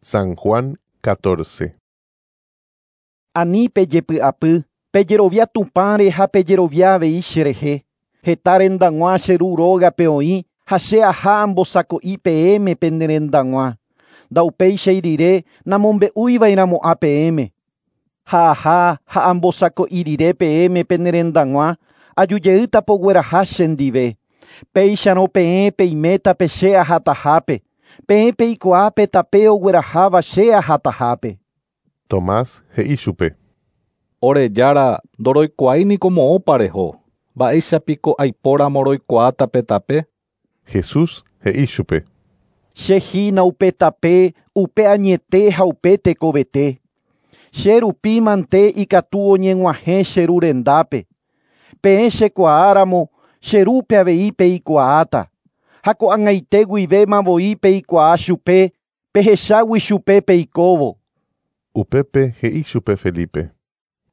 San Juan 14. Ani pejepy'apy, pejerovia Tupãre ha pejerovia avei cherehe. Heta rendag̃ua che ru rógape oĩ ha che aha ambosako'i peẽme pene rendag̃ua. Ndaupéichai rire namombe'uiva'erãmo'ã peẽme. Ha aha ha ambosako'i rire peẽme pene rendag̃ua, ajujeýta pogueraha chendive. Péicharõ peẽ peiméta pe che ahatahápe. Peẽ peikuaa pe tape ogueraháva che ahatahápe. Tomás he'i chupe. Ore Jára ndoroikuaáiniko moõpa reho. Mba'éichapiko aipóramo roikuaáta pe tape? Jesús he'i chupe. Che hína upe tape, upe añete ha upe tekovete. Che rupi mante ikatu oñeg̃uahẽ che ru rendápe. Peẽ chekuaáramo che rúpe avei peikuaáta. Ha ko'ag̃aite guivéma voi peikuaa chupe, pehechágui chupe peikóvo. Upépe he'i chupe Felipe.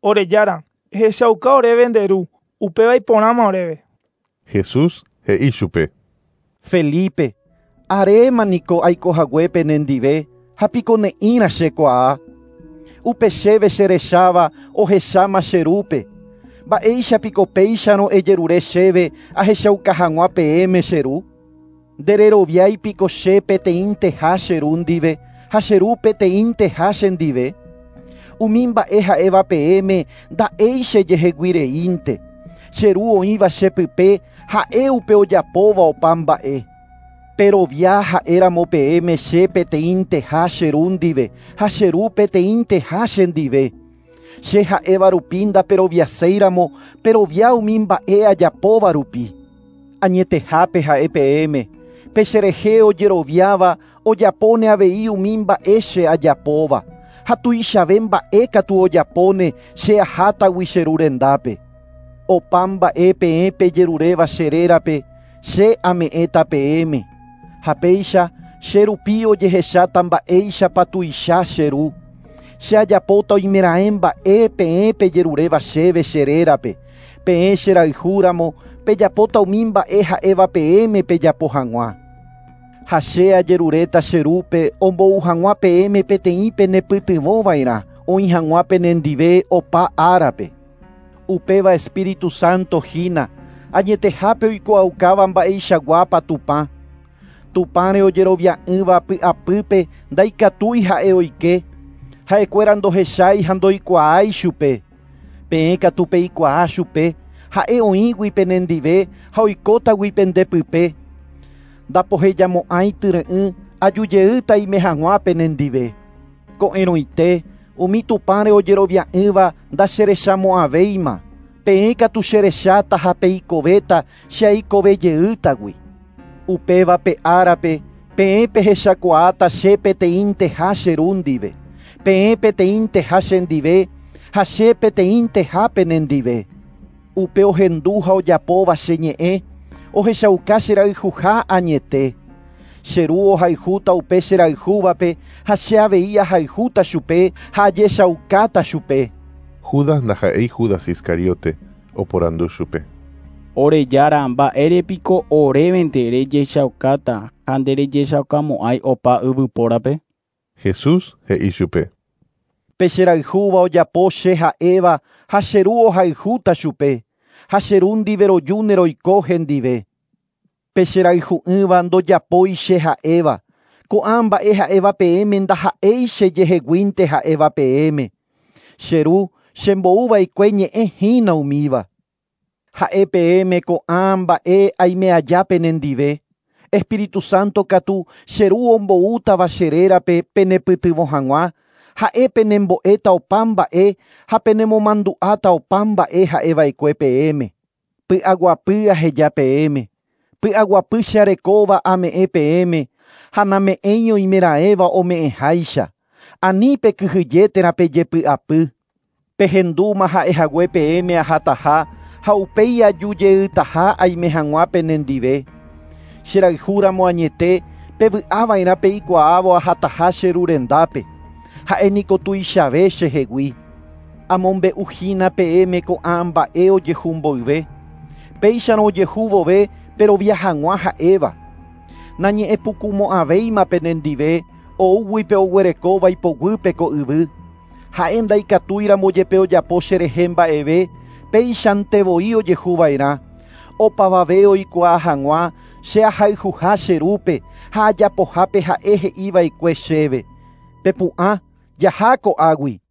Ore Jára, ehechauka oréve nde ru, upéva iporãma oréve. Jesús he'i chupe. Felipe, aréma niko aikohaguépe nendive ha piko ne'ĩra chekuaa. Upe chéve cherecháva ohecháma che rúpe. Mba'éichapiko péicharõ ejerure chéve ahechauka hag̃ua peẽme che ru? Ndereroviáipiko che peteĩnteha che ru ndive ha che ru peteĩnteha chendive. Umi mba'e ha'éva peẽme nda'éi chejeheguireínte. Che ru oĩva chepype ha'e upe ojapóva opa mba'e. Perovia ha'éramo peẽme che peteĩnteha che ru ndive ha che ru peteĩnteha chendive. Che ha'éva rupi ndaperoviaséiramo perovia umi mba'e ajapóva rupi. Añetehápe ha'e peẽme, pe cherehe ojeroviáva ojapóne avei umi mba'e che ajapóva. Ha tuichave mba'e katu ojapóne che ahátagui che ru rendápe. Opa mba'e peẽ pejeruréva che rérape, che ame'ẽta peẽme. Ha péicha che rupi ojehecháta mba'éichapa tuicha che ru. Che ajapóta oimeraẽ mba'e peẽ pejeruréva chéve che rérape. Peẽ cherayhúramo pejapóta umi mba'e ha'éva peẽme pejapo hag̃ua. Ha che ajeruréta che rúpe ombou hag̃ua peẽme peteĩ penepytyvõva'erã oĩ hag̃ua penendive opa árape. Upéva Espíritu Santo hína, añetehápe oikuaaukáva mba'eichaguápa Tupã. Tupãre ojerovia'ỹva py'apýpe ndaikatúi ha'e oike. Ha'ekuéra ndohechái ha ndoikuaái chupe. Peẽ katu peikuaa chupe, ha'e oĩgui penendive ha oikótagui pendepype. Ndapohejamo'ãi tyre'ỹ ajujeýta ime hag̃ua penendive. Ko'ẽrõite umi Tupãre ojerovia'ỹva ndacherechamo'ãvéima. Peẽ katu cherecháta ha peikovéta che aikovejeýtagui. Upéva pe árape peẽ pehechakuaáta che peteĩnteha che ru ndive. Peẽ peteĩnteha chendive ha che peteĩnteha penendive. Upe ohendu ha ojapóva che ñe'ẽ, ohechauka cherayhuha añete. Che ru ohayhúta upe cherayhúvape ha che avei ahayhúta chupe ha ajechaukáta chupe. Judas ndaha'éi Judas Iscariote oporandu chupe. Ore Jára, mba'érepiko orévente rejechaukáta ha nderejechaukamo'ãi opa yvypórape? Jesús he'i chupe. Pe cherayhúva ojapo che ha'éva ha che ru ohayhúta chupe. Ha che ru ndive rojúne roiko hendive. Pe cherayhu'ỹva ndojapói che ha'éva. Ko'ã mba'e ha'éva peẽme ndaha'éi chejeheguínte ha'éva peẽme. Che ru chembo'uva'ekue ñe'ẽ hína umíva. Ha'e peẽme ko'ã mba'e aime aja penendive. Espíritu Santo katu che ru omboútava che rérape penepytyvõ hag̃ua, ha'e penembo'éta opa mba'e ha penemomandu'áta opa mba'e ha'eva'ekue peẽme. Py'aguapy aheja peẽme. Py'aguapy che arekóva ame'ẽ peẽme ha name'ẽi oimeraẽva ome'ẽháicha. Ani pekyhyje térã pejepy'apy. Pehendúma ha'ehague peẽme ahataha ha upéi ajujeýtaha aime hag̃ua penendive. Cherayhúramo añete pevy'ava'erã peikuaávo ahataha che ru rendápe. Ha'e niko tuichave chehegui. Amombe'uhína peẽme ko'ã mba'e ojehu mboyve. Péicharõ ojehu vove perovia hag̃ua ha'éva. Nañe'ẽpukumo'ãvéima penendive. Oúgui pe oguerekóva ipoguýpe ko yvy. Ha'e ndaikatúiramo jepe ojapo cherehe mba'eve, péichante voi ojehuva'erã. Opavave oikuaa hag̃ua che ahayhuha che rúpe ha ajapohápe ha'e he'iva'ekue chéve. Pepu'ã, jaha ko'águi.